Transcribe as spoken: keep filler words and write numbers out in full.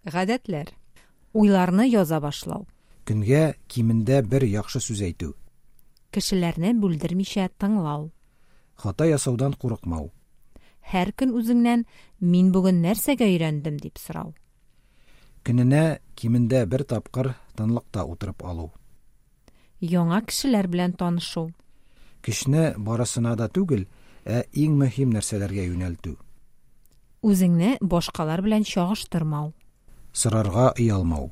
Гадәтләр. Уйларны яза башлау. Көнгә кимендә бер яхшы сүз әйтү. Кешеләрне бүлдермичә тыңлау. Хата ясаудан курыкмау. Һәр көн үзеңнән "Мин бүген нәрсәгә өйрәндем?" дип сорау. Көненә кимендә бер тапкыр тынлыкта утырып алу. Яңа кешеләр белән танышу. Көчне барысына да түгел, ә иң мөһим нәрсәләргә юнәлтү. Үзеңне башкалар белән чагыштырмау. Сорарга оялмау.